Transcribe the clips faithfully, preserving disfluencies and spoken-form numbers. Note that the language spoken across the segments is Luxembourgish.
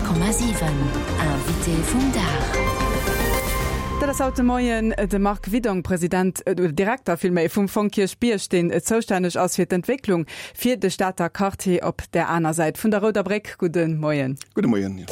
Honnert Komma siwen, Invité vum Dag. Dat ass haut de Moien de Marc Widong, President, oder Direkter villméi, vum Fong Kierchbierg, deen zoustänneg ass fir d'Entwécklung fir de Stater Quartier op där aner Säit vun der Rouder Bréck. Gudde Moien. Gudde Moien.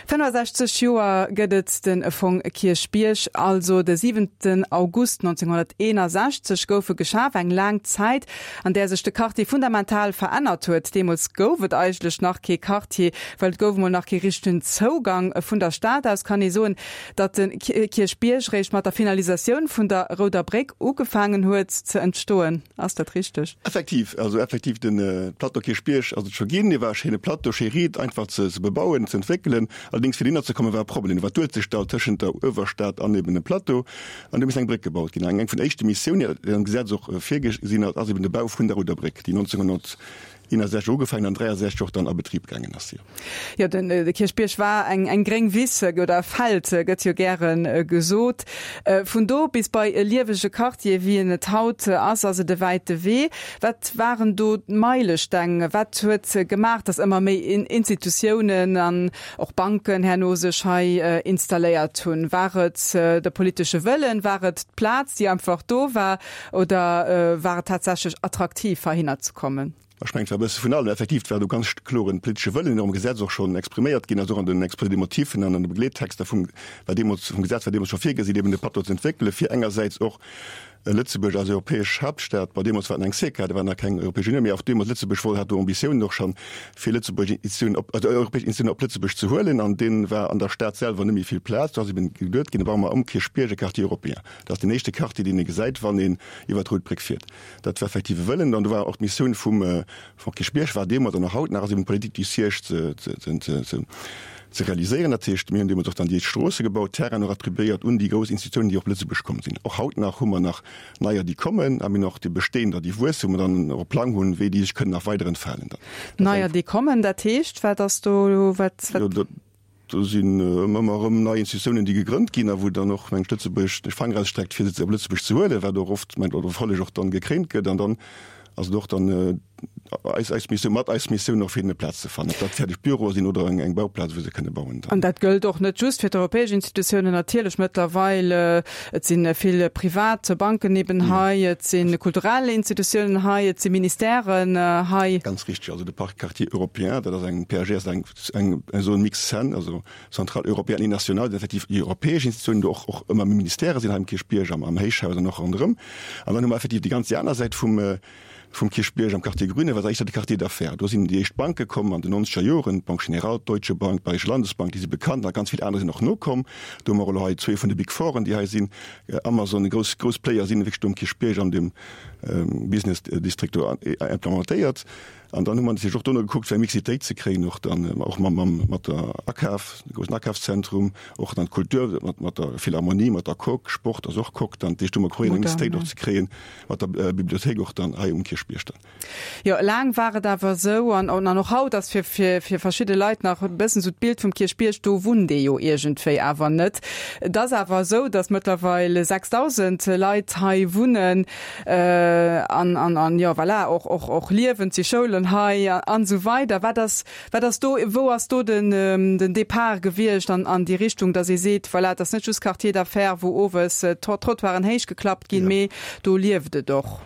fënnefasechzeg Joer gëtt et de Fong Kierchbierg, also de siwenten August nonzénghonnerteenasechzeg gouf e geschaf, eng laang Zäit, an där sech de Quartier fundamental verännert huet. Deemools gouf et eigentlech nach kee Quartier, well et gouf emol nach kee richtegen Zougang vun der Stad aus. Kann ee soen, datt de Kierchbierg réischt mat der Finalisatioun vun der Rouder Bréck ugefaangen huet ze entstoen? Ass dat richteg? Effektiv, also effektiv de Plateau Kierchbierg ass et scho ginn. Dee war e schéine Plateau, schéi riit, einfach ze bebauen, ze entwéckelen. Allerdéngs fir dohinner ze kommen war e Problem. Do war d'Uelzechtdall tëschent der Uewerstad an eben dem Plateau an do misst eng Bréck gebaut ginn. An eng vun éischte Missiounen, déi am Gesetz och virgesinn ass, ass eben de Bau vun der Rouder Bréck, déi nonzénghonnerteenasechzeg ugefaangen an dräiasechzeg och dann a Betrib gaangen ass. Jo, den de Kierchbierg war eng eng gréng Wiss oder e Feld, gëtt jo gäre gesot. Vun do bis bei e liewege Quartier, wéi en et haut ass, ass et e wäite Wee. Wat waren do d'Meilesteng? Wat huet gemaach, datt ëmmer méi Institutiounen an och Banken herno sech hei installéiert hunn? War et de politesche Wëllen? War et d'Plaz, déi einfach do war? Oder war et tatsächlech attraktiv, heihinner ze kommen? Ech mengen, et war e bësse vun allem. Effektiv, et war do ganz kloren politesche Wëllen, deen och am Gesetz och schonn expriméiert ginn ass, och an den Exposé des motifs an an de Begleettexter vum, war deemools, vum Gesetz war deemools scho virgesinn, eben de Plateau ze entwéckelen, fir engersäits och Lëtzebuerg als europäesch Haaptstad, bon, deemools war et nach eng SECA, da war nach keng Europäesch Unioun, mee och deemools Lëtzebuerg wollt, hat do Ambitiounen och schonn, fir Lëtzebuerg Institutiounen op, also europäesch Institutiounen op Lëtzebuerg ze huelen. An dee war an der Stad selwer net méi vill Plaz. Do ass eben geduet ginn, da baue mer um Kierchbierg e Quartier européen. Dat ass deen éischte Quartier, deen ee gesäit, wann een iwwer d'Rout Bréck fiert. Dat war effektiv e Wëllen. An do war och d'Missioun vum Fonds Kierchbierg war deemools an och haut nach ass eben d'Politique du siège ze, ze, ze, ze, ze realiséieren. Dat heescht, mir hunn deemools och dann déi éischt Stroosse gebaut, Terrainen och attribuéiert un déi grouss Institutiounen, déi och op Lëtzebuerg komm sinn. Och haut nach hu mer nach neier, déi kommen, a mir hunn och déi bestehender, déi wuessen, wou mer dann och e Plang hunn, wéi déi sech kënnen nach weider entfalen dann. Neier, déi kommen, dat heescht, wat ass do, wat, wat? Jo, dat, do sinn ëmmer erëm nei Institutiounen, déi gegrënnt ginn a wou dann och, mengen ech, Lëtzebuerg de Fanger ausstreckt, fir se op Lëtzebuerg ze huelen, wat och oft, mengen ech, oder och dann gekréint gëtt. An dann ass et och dann eis, eis Missioun, mat eis Missioun och fir hinnen e Plaz ze fannen, ob dat fäerdeg Büroe sinn oder eng, eng Bauplaz, wou se kënne bauen dann. An dat gëllt och net just fir d'europäesch Institutiounen natierlech mëttlerweil. Et si vill privat Banken eben hei, et si kulturell Institutiounen hei, et si Ministèren hei. Ganz richtig. Also de Parc Quartier européen, dat ass eng P A G, ass eng, eng Zone mixte C E N, also Centrale européenne et nationale, effektiv déi europäesch Institutiounen, do och, och ëmmer méi Ministèrë sinn hei um Kierchbierg, am, am Héichhaus an och ronderëm. An dann hu mer effektiv déi ganz déi aner Säit vum, vum Kierchbierg am Quartier Grüne, wat éischter de Quartier d'affaires. Do sinn déi éischt Banke komm an den nonzeger Joren, d'Banque Générale, d'Deutsche Bank, d'Bayerische Landesbank, déi si bekannt, a ganz vill aner sinn och nokomm. Do hu mer elo hei zwee vun de Big Fouren, déi hei sinn, Amazon, grouss, grouss Player sinn wierklech do um Kierchbierg an dem Business District do implementéiert. An dann hu mer natierlech och dono gekuckt, fir eng Mixitéit ze kréien, och dann och mam, mam, mat der Akaf, de groussen Akafszentrum, och dann d'Kultur mat, mat der Philharmonie, mat der Coque, Sport ass och Coque dann. Dat heescht, do hu mer probéiert, eng Mixitéit och ze kréien mat der Bibliothéik och dann hei um Kierchbierg dann. Jo, laang war et awer esou, an, an och haut ass fir, fir, fir verschidde Leit nach e bëssen esou d'Bild vum Kierchbierg, do wunnt ee jo iergendwéi awer net. Et ass awer esou, datt mëttlerweil sechsdausend Leit hei wunnen an, an, an jo, voilà, och, och, och liewen, et si Schoulen hei an esou weider. Wat ass, wat ass do, wou ass do den, den Depart gewiescht an, an déi Richtung, datt ee seet, voilà, et ass net just Quartier d'affaires, wou owes d'Trottoiren héichgeklappt ginn, mee do lieft et och?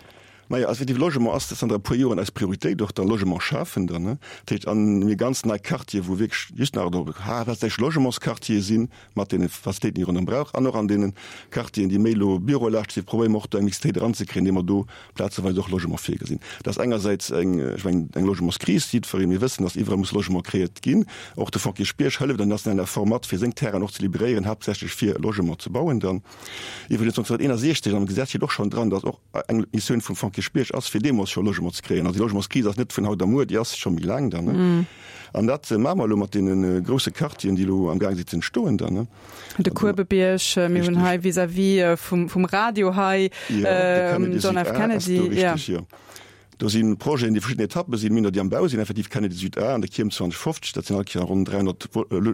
Majo, also effektiv, Logement ass zanter e puer Joren eis Prioritéit, och da Logement schafen dann, ne. Dat heescht, an mir ganz nei Quartiere, wou wierklech just nach do haaptsächlech Logementsquartiere sinn, mat deene Facilitéiten, déi ee ronderëm brauch, an och an deene Quartieren, déi méi elo bürolaaschteg sinn, probéiere mer och do eng Mixitéit eranzekréien, indem mer do plazeweis och Logement virgesinn. Dat ass engersäits eng, ech mengen, eng Logementskris, jiddweree, mir wëssen, dass iwwerall muss Logement kreéiert ginn. Och de Fonds Kierchbierg hëlleft an nationaler Form mat, fir seng Terrainen och ze liberéieren, haaptsächlech fir Logement ze bauen dann. Iwwregens nonzénhunnerteenundsechzeg am Gesetz steet och schonn dran, dass och eng Missioun vum Fonds Kierchbierg ass, fir deemools scho Logement ze kréien. Also déi Logementskris ass net vun haut a muer, déi ass scho méi laang dann. An dat maache mer elo mat deene grousse Quartieren, déi elo amgaang sinn ze entstoen dann. De Kuebebierg, mir hunn hei vis-à-vis vum, vum Radio hei, John F. Kennedy. Richtig, jo. Do si Projeten, déi verschidden Etappe sinn, mir hunn der, déi am Bau sinn, effektiv Kennedy Süd A an der Kierm zweihunnertfofzeg, dat sinn all Kéier ronn dräihonnert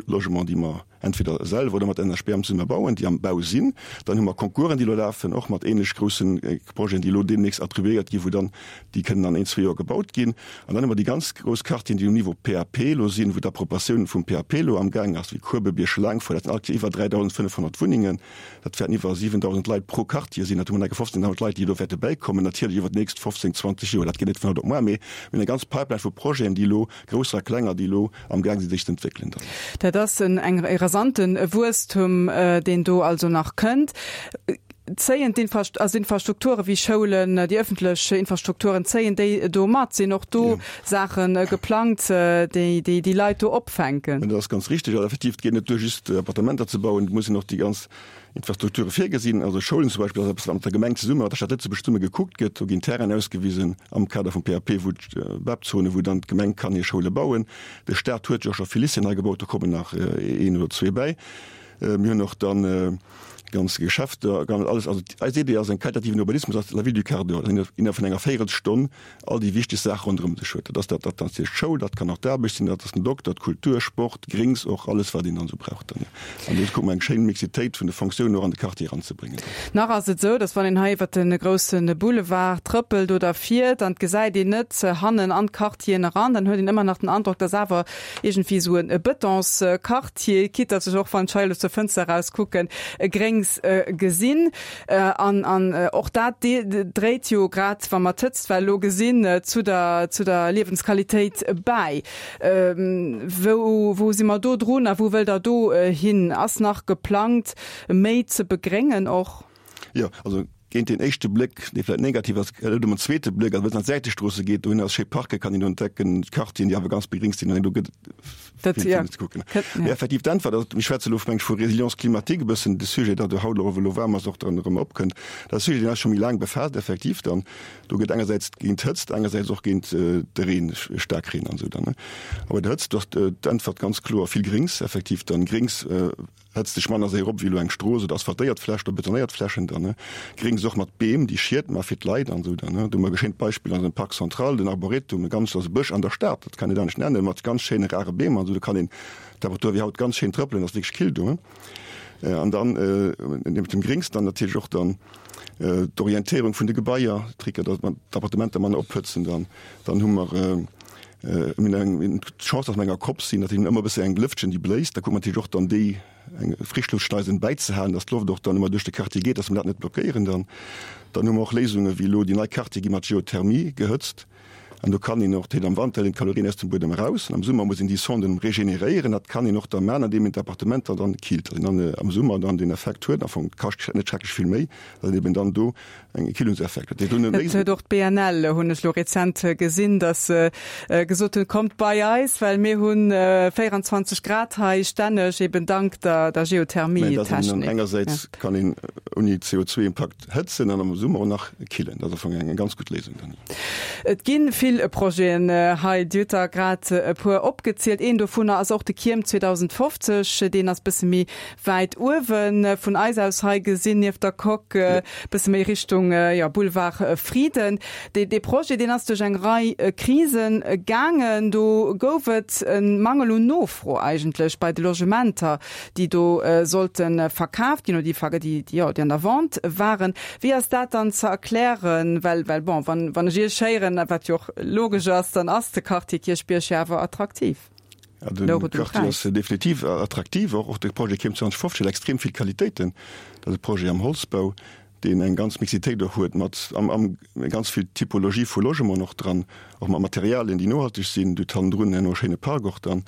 Logementen, déi mer entweder selwer oder mat N H B M zesumme bauen, déi am Bau sinn. Dann hu mer Concoursen, déi elo lafen, och mat ähnlech groussen Projeten, déi elo deemnächst attribuéiert ginn, wou dann déi kënnen an een, zwee Joer gebaut ginn. An dann hu mer déi ganz grouss Quartieren, déi um Niveau P A P elo sinn, wou d'Appropriatioun vum P A P elo amgaang ass, wéi Kuebebierg, Laangfort, dat sinn all Kéier iwwer dräidausendfënnefhonnert Wunnengen. Dat wäerten iwwer siwendausend Leit pro Quartier sinn. Dat hu mer nach fofzéngdausend Leit, déi do wäerte bäikommen, natierlech iwwer déi nächst fofzéng, zwanzeg Joer. Dat geet net vun haut op muer, mee mir hunn eng ganz Pipeline vu Projeten, déi elo, grousser a klenger, déi elo amgaang sinn, sech ze entwéckelen dann. Dat ass en eng e rasante Wuesstum, deen do also nach kënnt. Zéien d'Infrast also Infrastrukture wéi Schoulen, déi ëffentlech Infrastrukturen, zéien déi do mat? Sinn och do Saache geplangt, déi déi déi Leit do opfänken? Dat ass ganz richtig. Also effektiv, et geet net duer, just Appartementer ze bauen, et muss een och déi ganz Infrastrukture virgesinn. Also Schoulen zum Beispill ass eppes, wat mat der Gemeng zesumme, mat der Stad Lëtzebuerg zesumme gekuckt gëtt. Do ginn Terrainen ausgewisen am Kader vum P A P, wou d'B A P-Zone, wou dann d'Gemeng kann hir Schoule bauen. De Staat huet jo och scho vill Lycéeën nei gebaut, do kommen nach een oder zwee bäi. Mir hunn och dann ganz Geschäfter, ganz alles. Also eis Idee ass en qualitativen Urbanismus, ass la ville du quart d'heure, dass een innerhalb vun enger Véierelstonn all déi wichteg Saache ronderëm sech huet. Dat ass dat, dat ass d'Schoul, dat kann och d'Aarbecht sinn, dat ass den Dokter, d'Kultur, Sport, Gréngs och, alles wat een dann esou brauch dann. An do kucke mer eng schéin Mixitéit vun de Fonctiounen och an de Quartier eranzebréngen. Nach ass et esou, dass wann een hei iwwer de grousse Boulevard trëppelt oder fiert an et gesäit een net hannen an d'Quartieren eran, dann huet een ëmmer nach den Androck, dass awer iergendwéi esou e Betonsquartier, quitte dass ech och wann ech hei elo zur Fënster eraus kucken, e Gréngs gesinn. An an och dat dréit jo, grad wa mer d'Hëtztwell elo gesinn, zu der zu der Liewensqualitéit bäi. Wou wou si mer do drun a wou wëllt Der do hin? Ass nach geplangt méi ze begréngen och? Jo, also géint den éischte Bléck, dee vläicht negativ ass, gëtt et um zweete Bléck, also wann et an d'Säitestroosse geet, dohinner ass schéi Parke kann een do entdecken, Quartieren, déi awer ganz begréngt sinn, an do gëtt et vill, vill ze kucken. Mee effektiv d'Äntwert, also mir schwätze elo meng ech vu Résilience climatique e bëssen, de Sujet, dat do haut elo elo waarm ass, och dann erëm opkënnt, dat ass e Sujet, deen eis scho méi laang befaasst effektiv dann. Do gëtt engersäits géint d'Hëtzt, engersäits och géint de Reen, Staarkreen an esou dann, ne. A bei der Hëtzt ass d'Äntwert ganz kloer vill Gréngs effektiv dann. Gréngs hëtzt sech manner séier op wéi elo eng Strooss oder asphaltéiert Fläch oder betonéiert Flächen dann, ne. Gréngs och mat Beem, déi Schied ma fir d'Leit an esou dann, ne. Do hu mer e schéint Beispill an eisem Parc central, den Arboretum, e ganz, ass e Bësch an der Stad, dat kann een anescht nennen, mat ganz schéine rare Beem an esou. Do kann een Temperatur wéi haut ganz schéin trëppelen, ass wierklech kill do. An dann niewent dem Gréngs dann natierlech och dann d'Orientéierung vun de Gebaier, Tricker, datt mer d'Appartementer manner ophëtzen dann. Dann hu mer mir hunn eng d'Chance, datt mer enger Kopp sinn, datt een ëmmer e bësse eng Lëftchen, déi bléist. Da kucke mer natierlech och dann déi eng Frischluftschleisen bäizehalen, datt d'Loft och dann ëmmer duerch de Quartier geet, datt mer dat net blockéieren dann. Dann hu mer och Léisunge wéi elo déi nei Quartiere gi mat Geothermie gehëtzt. An do kann een och, dat heescht am Wanter hëlt een d'Kalorien aus dem Buedem eraus an am Summer muss een déi Sonden regeneréieren. Dat kann een och da maachen, andeem een d'Appartementer dann killt, datt een dann am Summer dann deen Effekt huet. Am Fong kascht net schrecklech vill méi, datt een eben dann do eng Killungseffekt huet. Dat huet och d'B N L, hunn ech elo rezent gesinn, datt se gesot hunn, kommt bei eis, well mir hu véierundzwanzeg Grad hei stänneg, eben dank der der Geothermie-Technik. Engersäits kann een ouni C O zwei Impakt hëtzen an am Summer och nach killen. Dat ass am Fong eng ganz gutt Léisung dann. Et gi vill Projeten hei, Dir hutt der grad e puer opgezielt. Een dovunner ass och de Kierm zweedausendfofzeg, deen ass bësse méi wäit uewen vun eis aus hei gesinn, nieft der Coque, bësse méi Richtung, jo, Boulevard Frieden. Dee dee Projet, deen ass duerch eng Rei Krisen gaangen. Do gouf et e Mangel un Nofro eigentlech bei de Logementer, déi do sollte verkaaft ginn oder déi, déi, jo, déi an der Vente waren. Wéi ass dat dann ze erklären? Well, well bon, wann, wann ech Iech héieren, wat jo och logesch ass, dann ass de Quartier Kierchbierg jo awer attraktiv. Ja, de Quartier ass definitiv attraktiv. Och, och de Projet Kierm zweedausendfofzeg huet extrem vill Qualitéiten. Dat ass e Projet am Holzbau, deen eng ganz Mixitéit och huet mat am, am ganz vill Typologie vu Logement och dran, och mat Materialien, déi nohalteg sinn. Du huet hannendrun herno e schéine Park och dann.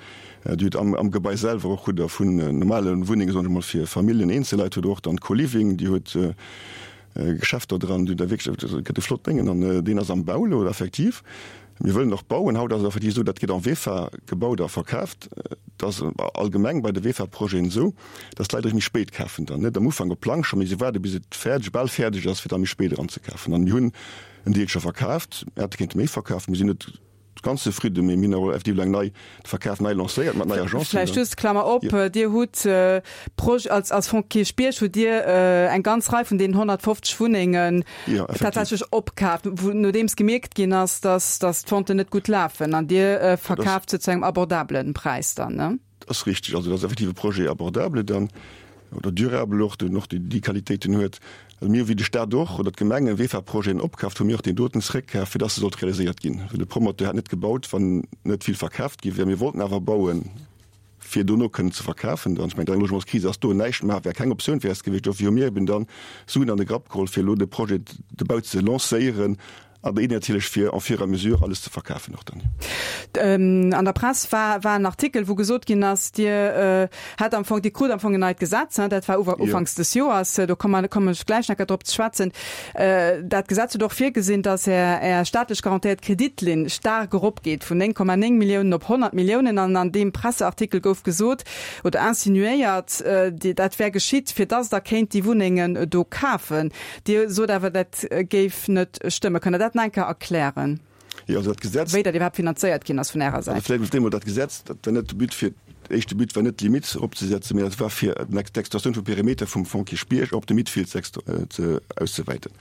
Du huet am, am Gebai selwer och hutt Der vun normale Wunnenge, soen ech emol, fir Familljen, Eenzelleit, huet Der och dann Co-Living, Dir huet Geschäfter dran, déi da wierklech, et gëtt e flott Déngen an deen ass am Bau elo effektiv. Mir wëllen och bauen. Haut ass et effektiv esou, dat gëtt en VEFA gebaut a verkaaft. Et ass allgemeng bei de VEFA-Projeten esou, dass d'Leit eréischt méi spéit kafen dann, net am Ufank op Plang scho, mee se waarde bis et fäerdeg, bal fäerdeg ass, fir da méi spéit eranzekafen. An mir hunn en Deel scho verkaaft, mir hätte kéinte méi verkafen, mir sinn net ganz zefridden, mee mir hunn awer effektiv eng nei, de Verkaf nei lancéiert mat neier Agence. Vläicht just, Klammer op, Dir hutt Proj-, als, als Fonds Kierchbierg hutt Dir eng ganz Rei vun deenen honnertfofzeg Wunnengen tatsächlech opkaaft, wou, nodeems gemierkt ginn ass, dass, dass d'Venten net gutt lafen an Dir verkaaft se zu engem abordablen Präis dann, ne? Dat ass richtig. Also dat ass effektiv e Projet abordable dann oder durable och, deen och déi Qualitéiten huet. Also mir, wéi de Stat och oder d'Gemengen V-Projeten opkaaft, hu mir och deen doten zréckkaaft, fir dass e sollt realiséiert ginn. Well de Promoteur hätt net gebaut, wann net vill verkaaft gi wär. Mir wollten awer bauen, fir dono kënnen ze verkafen dann. Ech mengen, eng Logementskris ass do, näischt maache wär keng Optioun fir eis gewiescht. Dofir hu mir eben dann Suen an de Grapp geholl, fir elo de Projet, de Bau ze lancéieren an déi natierlech fir en fur et à mesure alles ze verkafen och dann. An der Press war war en Artikel, wou gesot ginn ass, Dir hätt am Fong, Dir krut am Fong en neit Gesetz, dat war ufanks des Joers, do komme kommen ech gläich nach drop ze schwätzen. Dat Gesetz huet och virgesinn, datt Är Är staatlech garantéiert Kreditlinn staark eropgeet vun néng Komma néng Milliounen op honnert Milliounen. An an deem Presseartikel gouf gesot oder insinuéiert, dat wär geschitt, fir datt Der kéint déi Wunnengen do kafen. Dir sot awer, dat géif net stëmmen. Kënnt Der dat nach eng Kéier erklären? Jo, also dat Gesetz. Wéi dat iwwerhaapt finanzéiert ginn ass vun Ärer Säit. Also vläicht emol dat Gesetz, dat war net de But fir, de éischte But war net d'Limite eropzesetzen, mä dat war fir d'Extensioun vum Perimeter vum Fonds Kierchbierg op de Midfield ze auszewäiten.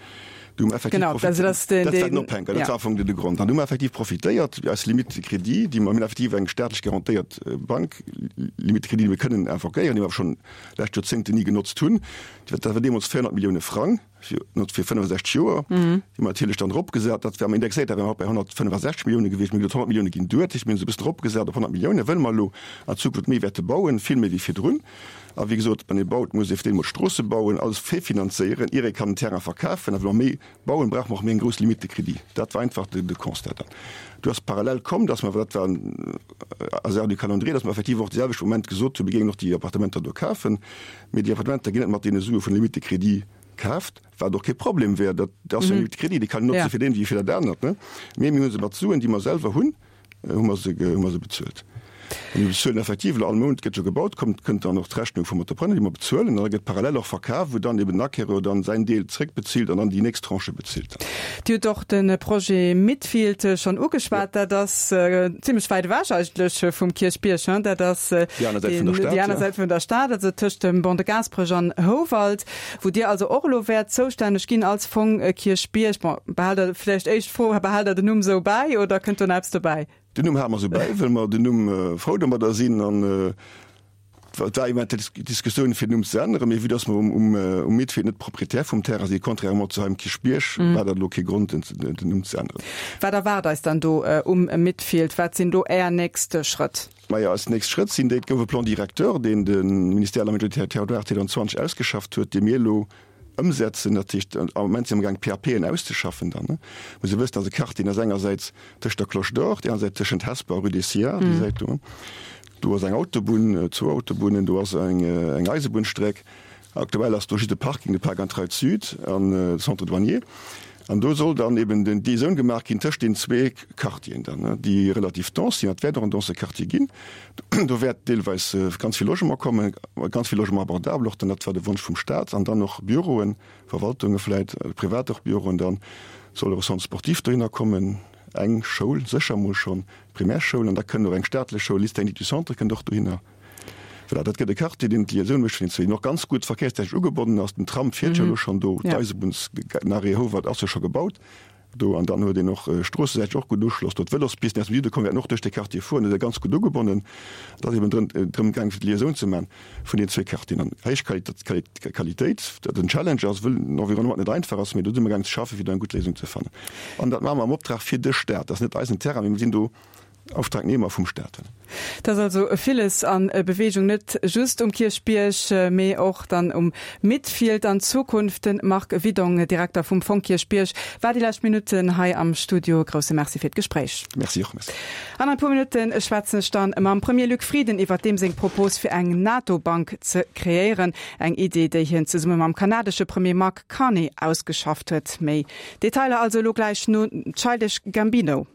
Do hu mer effektiv Genau, also dat ass den, Dat war den Ophänker, dat war am Fong de Grond. An do hu mer effektiv profitéiert, eis Limite de crédit, déi mer, mir hunn effektiv eng staatlech garantéiert Bank, Limite de crédit, déi mir kënnen invoquéieren, déi mer awer schonn lescht Joerzéngten ni genotzt hunn. Dat war deemools véierhonnert Millioune Frang fir fir fënnefasechzeg Joer. Déi hu mer natierlech dann eropgesat. Dat war am indexéiert, da wäre mer haut bei honnertfënnefasechzeg Millioune gewiescht. Mir hunn gesot, honnert Millioune ginn duer. Dat heescht, mir hu se e bëssen eropgesat op honnert Millioune, wëll mer elo an Zukunft méi wäerte bauen, vill méi wéi virdrun. A wéi gesot, wann ee baut, muss ee fir d'éischt emol d'Stroosse bauen, alles virfinanzéieren, ier ee kann den Terrain verkafen. A well mer méi bauen, brauche mer och méi eng grouss Limite de crédit. Dat war einfach de Constat dann. Du ass parallel komm, dass mer, dat war en Hasard du calendrier, dass mer effektiv och de selwechte Moment gesot hunn, mir géingen och déi Appartementer do kafen, mee déi Appartementer ginn net mat deene Sue vun der Limite de crédit kaaft, wat och kee Problem wär, dat ass jo eng Limite de crédit, déi kann een notze fir deen wéi fir dat anert, ne? Mee mir hu se mat Suen, déi mer selwer hunn, hu mer se, hu mer se bezuelt. A mir bezuelen effektiv elo all Mount, gëtt jo gebaut, kommt, kënnt dann och d'Rechnung vum Entrepreneur, déi mer bezuelen, an da gëtt parallel och verkaf, wou dann eben den Acquéreur dann säin Deel zréckbezilt an dann déi nächst Tranche bezilt. Dir hutt och de Projet Midfield schonn ugeschwat. Dat ass zimlech wäit ewech eigentlech vum Kierchbierg, hein? Dat ass déi aner Säit vun der Stad, déi aner Säit vun der Stad, also tëscht dem Ban de Gaasperech an Houwald, wou Dir also och elo wäert zoustänneg ginn als Fong Kierchbierg. Bon, behaalt Der, vläicht éischt Fro, behaalt Der den Numm esou bäi oder kënnt do nach eppes dobäi? Den Numm hale mer esou bäi, well mer den Numm frou domadder sinn. An et war eventuell Diskussioune fir den Numm ze änneren, mee vue dass mer um Midfield net Proprietär vum Terrain sinn, contrairement zu hei um Kierchbierg, war dat elo kee Grond, den Numm ze änneren. Wat erwaart eis dann do um Midfield? Wat sinn do Är nächst Schrëtt? Majo, eis nächst Schrëtt sinn déi, et gouf e Plan directeur, deen de Ministère de l'Aménagement du Territoire zweitausendzwanzeg ausgeschafft huet, dee mir elo Ëmsetzen, dat heescht am Moment si mer amgaang d'PAPen auszeschaffen. Dann muss ee wëssen, dass e Quartier, deen ass engersäits tëscht der Cloche d'Or, déi aner Säit tëschent Hesper a Rue des Sciards, déi Säit do, do ass eng Autobunn, zwou Autobunnen, do ass eng eng Eisebunnstreck. Aktuell ass do just e Parking, de Park and Ride Sud an de Centre douanier. An do soll dann eben den Liaisoun gemaach ginn tëscht deenen zwee Quartieren dann, déi relativ dense sinn. Dat wäert och en dense Quartier ginn. Do wäert deelweis ganz vill Logement kommen, ganz vill Logement abordable och dann, dat war de Wonsch vum Stat, an dann och Büroen, Verwaltunge vläit, privat och Büroen. Dann soll och e Centre sportif dohinner kommen, eng Schoul sécher emol schonn, Primärschoul, an da kënnt och eng staatlech Schoul, Lycée technique du Centre kënnt och dohinner. Voilà, dat gëtt e Quartier, deen d'Liaisoun mécht vun den zwee, deen och ganz gutt verkéierstechnesch ugebonnen ass. Den Tram fiert jo elo schonn do, d'Eisebunnsnarrêt Houwald ass jo scho gebaut do an dann huet een och stroossesäiteg och gutt Uschloss do. D'Vëlospisten, déi aus dem Süde kommen, wäerten och duerch dee Quartier fueren, do ass e ganz gutt ugebonnen. Et ass eben drëm drëm gaangen, fir d'Liaisoun ze maachen vun den zwee Quartieren an héich Qualitéit, dat en Challenge ass, wëll den Environnement net einfach ass, mee do si mer gaangen ze schaffen, fir do eng gutt Léisung ze fannen. An dat maache mer am Optrag fir de Staat. Dat ass net eisen Terrain, mee mir sinn do Auftragnehmer vum Staat. Et ass also villes a Beweegung, net just um Kierchbierg, mee och dann um Midfield an Zukunft. De Marc Widong, Direkter vum Fong Kierchbierg, war déi lescht Minutten hei am Studio. Grousse Merci fir d'Gespréich. Merci och. Merci. An e puer Minutte schwätzen ech dann mam Premier Luc Frieden iwwert deem seng Propos fir eng NATO-Bank ze kreéieren. Eng Idee, déi hien zesumme mam kanadesche Premier Mark Carney ausgeschafft huet. Méi Detailer also elo gläich no Childish Gambino.